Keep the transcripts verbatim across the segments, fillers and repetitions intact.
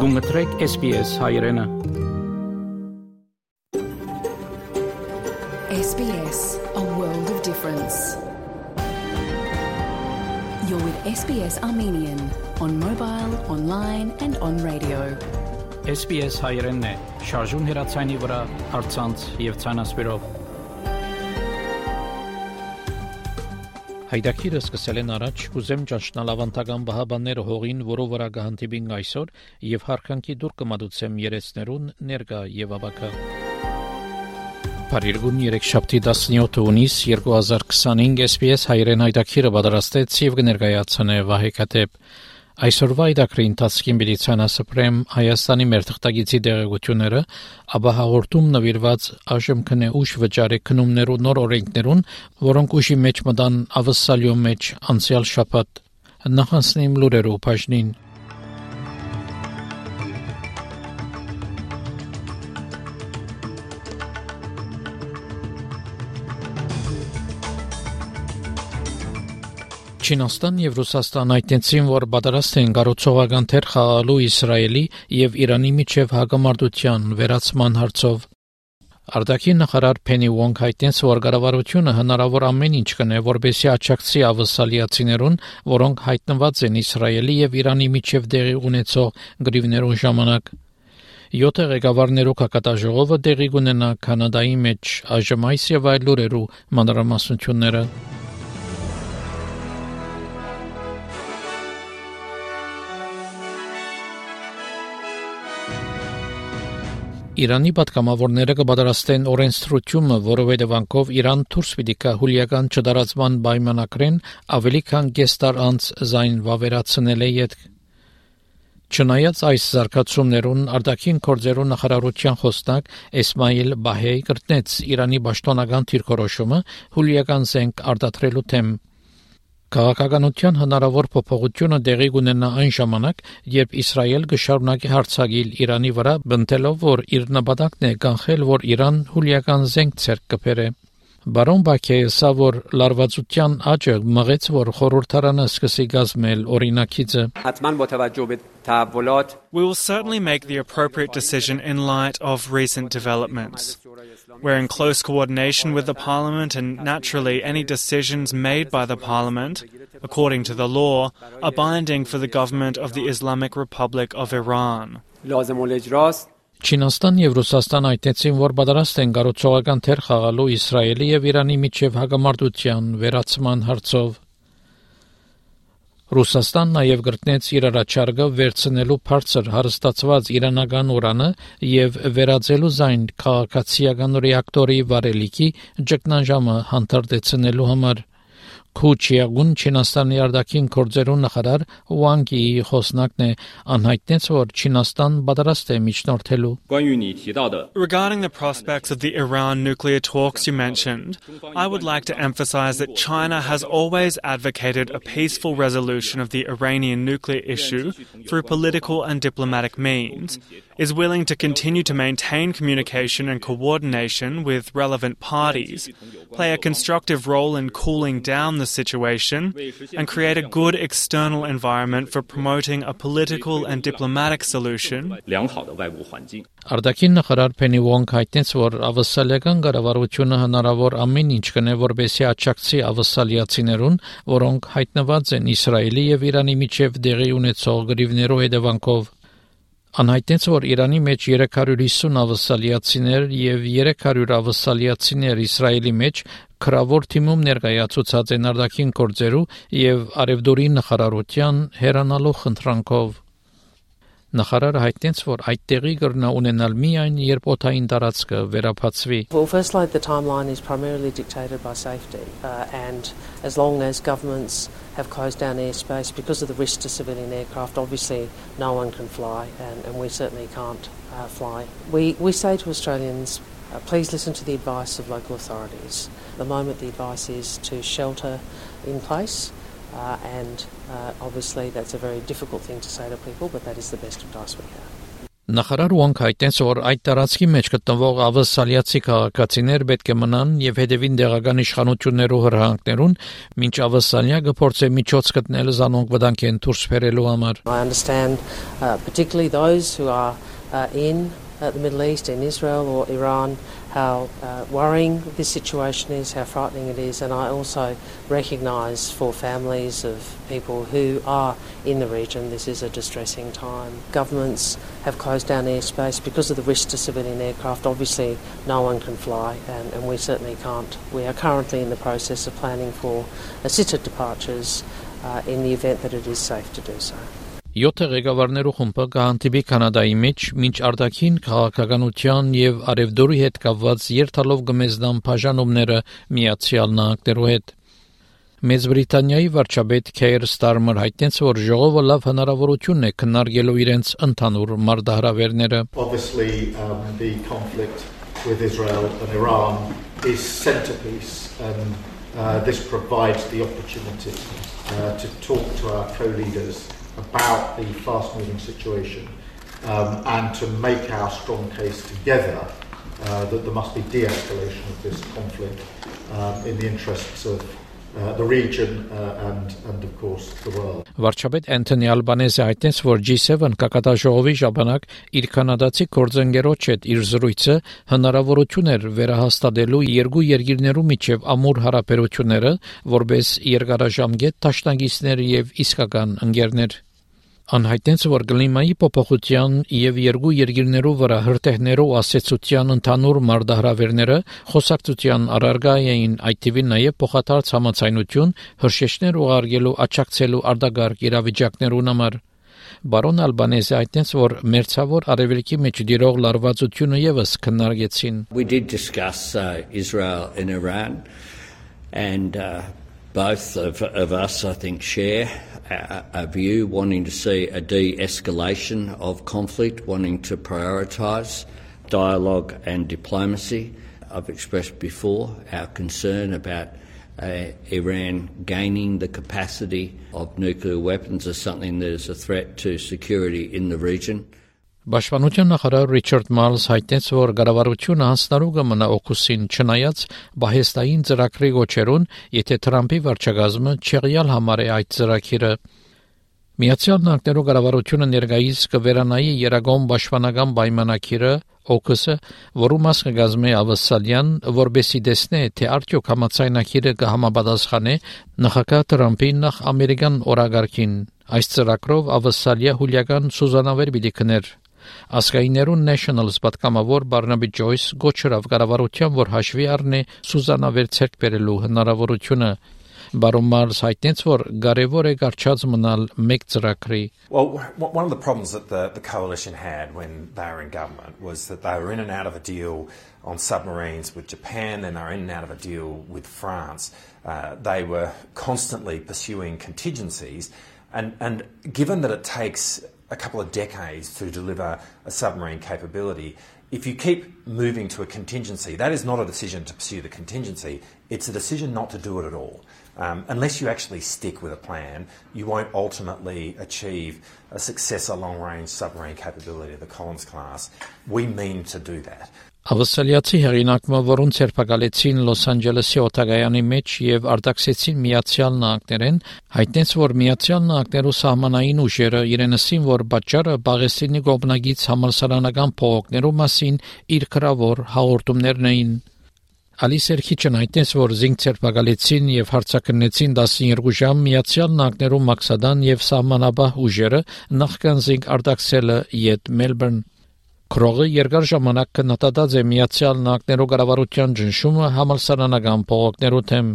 Գումտրեք S B S հայրենը S B S, a world of difference. You're with S B S Armenian on mobile, online and on radio. S B S հայրենն է, շարժուն հեռացանի վրա, առցանց եւ ցանասպիրով։ Հայդակիրը սկսել են առաջ, կուզեմ ճանչնալ ավանդական բահաբանները հողին, որով վրա գահանտիբին այսօր եւ հարկանքի դուր կմադուցեմ երեցներուն ներկա եւ ավակա։ Փարիգուն երեքշաբթի տասնյոթ հունիս երկու հազար քսանհինգ S B S հայրեն հայդակիրը պատրաստեց եւ կներկայացնե Վահե Քաթեփ։ Այսօրվա այդակրի ընթացքին միլիցիան ասպրեմ Հայաստանի մեր թղթագիտի դեղեցությունները, ապա հաղորդում նվիրված այժմ քնե ուշ վճարի քնումներու նոր օրենքներուն, որոնք ուշի մեջ մտան ավսալյո մեջ անցյալ շաբաթ։ Նախանցնեմ լուրերու բաժնին։ Չինաստան եւ Ռուսաստան հայտնեցին, որ պատրաստ են կառուցողական թեր խաղալու Իսրայելի եւ Իրանի միջև հակամարտության վերացման հարցով։ Արտաքին նախարար Փենի Վոնգ հայտնեց, որ կառավարությունը հնարավոր ամեն ինչ կնե, որպեսզի աջակցի ավսալիացիներուն, որոնք հայտնված են Իսրայելի եւ Իրանի միջև տեղի ունեցող գրիվներուն ժամանակ։ Յոթ ղեկավարներու կակատաժողովը տեղի կունենա Կանադայի մեջ, այժմ այս եւ այլ լուրերու մանրամասնությունները։ Իրանի պատգամավորները կպատրաստեն օրենսդրությունը, որով հետևանքով Իրան դուրս պիտի գա հուլիական չդարացման պայմանագրեն ավելի քան կես տար անց զայն վավերացնել է ետք։ Չնայած այս զարգացումներուն արտաքին գործերու նախարարության խոսնակ Էսմայիլ Բահեյ կրտնեց Իրանի պաշտոնական դիրքորոշումը հուլիական զենք արտադրելու թեմ։ Քաղաքականության հնարավոր փոփոխությունը տեղի կունենա այն ժամանակ, երբ Իսրայել կշարունակի հարձակել Իրանի վրա, բնտելով, որ իր նպատակն է կանխել, որ Իրան հուլիական զենք ցերկ կբերե։ Բարոն Բաքեյը ասա, որ լարվածության աճը մղեց, որ խորհրդարանը սկսի գազմել օրինակիցը։ We will certainly make the appropriate decision in light of recent developments. We're in close coordination with the Parliament, and naturally any decisions made by the Parliament, according to the law, are binding for the government of the Islamic Republic of Iran. Չինաստան եւ Ռուսաստան այդտեղին, որ պատրաստ են կառուցողական թեր խաղալու Իսրայելի եւ Իրանի միջև հակամարտության վերացման հարցով։ Ռուսաստան նաեւ գրտնեց իր առաջարկը վերցնելու բարձր հարստացված իրանական ուրանը եւ վերածելու զայն քաղաքացիական ռեակտորի վարելիքի ճգնաժամը հանդարտեցնելու համար։ Քուչիագուն Չինաստանի արտաքին գործերու նախարար Վանգի խոսնակն է անհայտնեց, որ Չինաստան պատրաստ է միջնորդելու։ Regarding the prospects of the Iran nuclear talks you mentioned, I would like to emphasize that China has always advocated a peaceful resolution of the Iranian nuclear issue through political and diplomatic means, is willing to continue to maintain communication and coordination with relevant parties, play a constructive role in cooling down the situation, and create a good external environment for promoting a political and diplomatic solution. Արտաքին նախարար Փենի Վոնգ հայտնեց, որ ավսալիական կառավարությունը հնարավոր ամեն ինչ կնե, որպեսզի աջակցի ավսալիացիներուն, որոնք հայտնված են Իսրայելի եւ Իրանի միջև տեղի ունեցող գրիվներու հետևանքով։ Անհայտնեց, որ Իրանի մեջ երեք հարյուր հիսուն ավսալիացիներ եւ երեք հարյուր ավսալիացիներ Իսրայելի մեջ քրավոր թիմում ներկայացուցած են արտաքին գործերու եւ արևդուրի նախարարության հերանալու խնդրանքով։ Նախարարը հայտնեց, որ այդ տեղի կրնա ունենալ միայն երբ օդային տարածքը վերափացվի։ Well, firstly, the timeline is primarily dictated by safety, uh, and as long as governments have closed down airspace because of the risk to civilian aircraft, obviously no one can fly, and, and we certainly can't uh, fly. We we say to Australians, uh, please listen to the advice of local authorities. At the moment, the advice is to shelter in place. Uh, and uh, obviously that's a very difficult thing to say to people, but that is the best advice we have. Նախարար Ուանք հայտնեց, որ այդ տարածքի մեջ գտնվող ավսալիացի քաղաքացիներ պետք է մնան եւ հետևին տեղական իշխանություններու հրահանգներուն, մինչ ավսալիա գործե միջոց գտնել զանոնք վտանգեն դուրս բերելու համար. I understand uh, particularly those who are uh, in uh, the Middle East, in Israel or Iran, how uh, worrying this situation is, how frightening it is, and I also recognise for families of people who are in the region, this is a distressing time. Governments have closed down airspace because of the risk to civilian aircraft. Obviously, no one can fly, and, and we certainly can't. We are currently in the process of planning for assisted departures uh, in the event that it is safe to do so. Յոթ ղեկավարներու խումբը կհանդիպի Կանադայի մեջ, մինչ արտաքին քաղաքականության եւ արևդորի հետ կապված երթալով գմեզդան բաժանումները Միացյալ Նահանգներու հետ. Մեծ Բրիտանիայի վարչապետ Քեյր Ստարմեր հայտնեց, որ ժողովը լավ հնարավորություն է քննարկելու իրենց ընդհանուր մարտահրավերները. Obviously, um, the conflict with Israel and Iran is centerpiece, and uh, this provides the opportunity uh, to talk to our co-leaders about the fast-moving situation um, and to make our strong case together uh, that there must be de-escalation of this conflict um, in the interests of uh, the region uh, and, and of course the world. Վարչապետ Անթոնի Ալբանեզը հայտնեց, որ G seven կակատաժողովի ժամանակ իր կանադացի գործընկերոջ հետ իր զրույցը հնարավորություն էր վերահաստատելու երկու երկիրներու միջև ամուր հարաբերությունները, որպես երկարաժամկետ դաշնակիցներ եւ իսկական ընկերներ. Անհայտնեց, որ կլիմայի փոփոխության եւ երկու երկիրներու վրա հրթեհներով ասեցության ընդհանուր մարտահրավերները խոսակցության առարկա էին, այդ թվին նաեւ փոխադարձ համաձայնություն հրշեջներ ուղարկելու աջակցելու արտագարկ իրավիճակներուն համար. Բարոն Ալբանեզը հայտնեց, որ մերձավոր արևելքի մեջ դիրող լարվածությունը եւս քննարկեցին. We did discuss uh, Israel and Iran, and uh, both of, of us, I think, share a, a view wanting to see a de-escalation of conflict, wanting to prioritise dialogue and diplomacy. I've expressed before our concern about uh, Iran gaining the capacity of nuclear weapons as something that is a threat to security in the region. Պաշտպանության նախարար Ռիչարդ Մալս հայտնեց, որ կառավարությունը հանձնարարու կմնա օգուստին չնայած բահեստային ծրագրի գոչերուն, եթե Թրամփի վարչակազմը չեղյալ համարի այդ ծրագիրը. Միացյալ Նահանգներու կառավարությունը ներկայիս կվերանայի Երագոն պաշտպանական պայմանագիրը օգուսը, որու մաս կգազմի ավսալյան, որբեսի տեսնե, թե արդյոք համաձայնագիրը կհամապատասխանե նախագահ Թրամփի նախ ամերիկան օրագարկին. Այս ծրագրով ավսալիա հուլիական սուզանավեր պիտի քներ. Ասկայիներուն Nationals պատգամավոր Բարնաբի Ջոյս գոչրավ կառավարության, որ հաշվի առնի սուզանավեր ցերկ բերելու հնարավորությունը. Բարոն Մալս հայտնեց, որ կարևոր է կարճած մնալ մեկ ծրագրի. Well, one of the problems that the, the coalition had when they were in government was that they were in and out of a deal on submarines with Japan, and they were in and out of a deal with France. Uh, they were constantly pursuing contingencies, and, and given that it takes a couple of decades to deliver a submarine capability, if you keep moving to a contingency, that is not a decision to pursue the contingency, it's a decision not to do it at all. Um, unless you actually stick with a plan, you won't ultimately achieve a successor long-range submarine capability of the Collins class. We mean to do that. Ավսալիացի հեղինակը, որոնց երբակալեցին Լոս Անջելեսի օտագայանի մեջ եւ արտաքսեցին Միացյալ Նահանգներեն, հայտնեց, որ Միացյալ Նահանգներու սահմանային ուժերը իրենսին, որ պատճառը Պաղեստինի գոբնագից համալսարանական փողոքներու մասին իր գրավոր հաղորդումներն էին. Ալիս Էրքիչն հայտնեց, որ զինք երբակալեցին եւ հարձակնեցին տասնյոթ ժամ Միացյալ Նահանգներու մաքսադան եւ սահմանաբահ ուժերը նախքան զինք արտաքսելը յետ Մելբուրն. Քրողը երկար ժամանակ կնտադած է Միացյալ Նահանգներու կառավարության ճնշումը համալսարանական փողոքներու թեմ.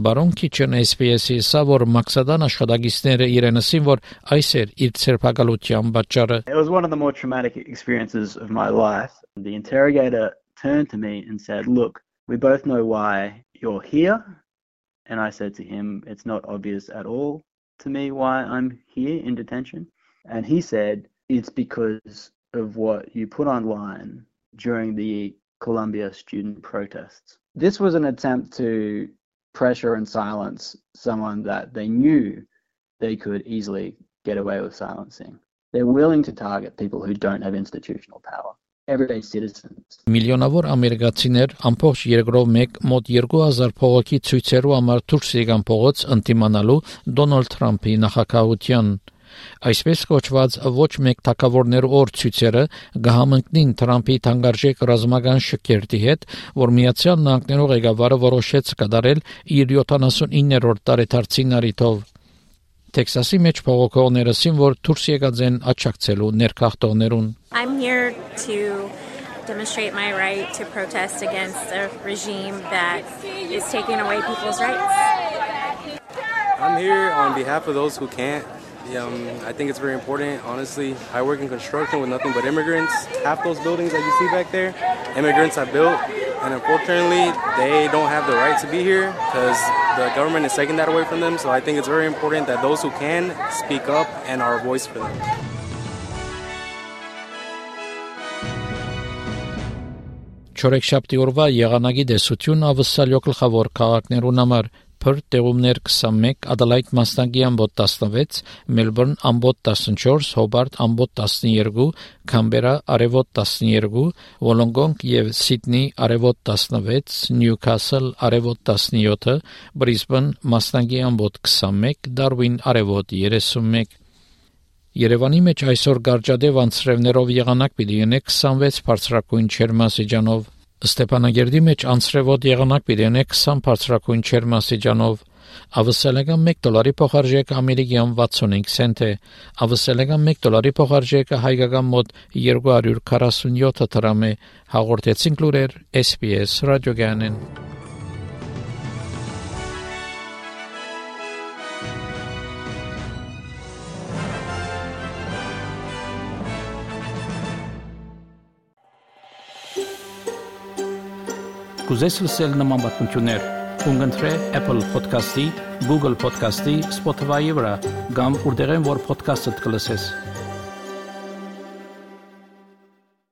Բարոն Քիչն S B S-ի ասա, որ մաքսադան աշխատակիցները իրենսին, որ այս էր իր ցերպակալության պատճառը. It was one of the more traumatic experiences of my life. The interrogator turned to me and said, "Look, we both know why you're here." And I said to him, "It's not obvious at all to me why I'm here in detention." And he said, "It's because of what you put online during the Columbia student protests." This was an attempt to pressure and silence someone that they knew they could easily get away with silencing. They're willing to target people who don't have institutional power. Everyday citizens. Միլիոնավոր ամերիկացիներ ամբողջ երկրով մեկ մոտ երկու հազար փողոքի ցույցերու համար դուրս եկան փողոց ընդդիմանալու Դոնալդ Թրամփի նախագահության։ Այսպես կոչված ոչ մեկ թակավորներ օր ցույցերը գահամընկնին Թրամփի թանկարժեք ռազմական շքերթի հետ, որ Միացյալ Նահանգներու ղեկավարը որոշեց կատարել իր յոթանասունիններորդ տարեդարձին առիթով։ Տեքսասի մեջ փողոքողները ասին, որ դուրս եկած են աջակցելու ներքախտողներուն։ I'm here to demonstrate my right to protest against a regime that is taking away people's rights. I'm here on behalf of those who can't. Um, I think it's very important, honestly. I work in construction with nothing but immigrants. Half those buildings that you see back there, immigrants have built. And unfortunately, they don't have the right to be here because the government is taking that away from them. So I think it's very important that those who can speak up and are a voice for them. Չորեքշաբթի օրվա եղանակի դեսություն ավսալյո գլխավոր քաղաքներուն համար Perth տեղումներ քսանմեկ, Adelaide Մասնագի ամբոտ տասնվեց, Melbourne ամբոտ տասնչորս, Hobart ամբոտ տասնյոթ, Canberra արևոտ տասնյոթ, Wollongong եւ Sydney արևոտ տասնվեց, Newcastle արևոտ տասնյոթ, Brisbane Մասնագի ամբոտ քսանմեկ, Darwin արևոտ երեսունմեկ։ Երևանի մեջ այսօր գարջադեպ անցրևներով եղանակ պիտի ունենա քսանվեց բարձրակույն չերմասիջանով։ Ստեփանագերդի մեջ անցրևոտ եղանակ պիտի ունենա քսան բարձրակույն չերմասիջանով։ Ավսալական մեկ դոլարի փոխարժեքը ամերիկյան վաթսունհինգ سنت է։ Ավսալական մեկ դոլարի փոխարժեքը հայկական մոտ երկու հարյուր քառասունյոթ դրամ է։ Հաղորդեցին լուրեր S B S ռադիոգանեն։ Կուզես լսել նման բանություններ, կընտրե Apple Podcast-ի, Google Podcast-ի, Spotify-ի վրա, կամ որտեղեն որ podcast-ը կլսես։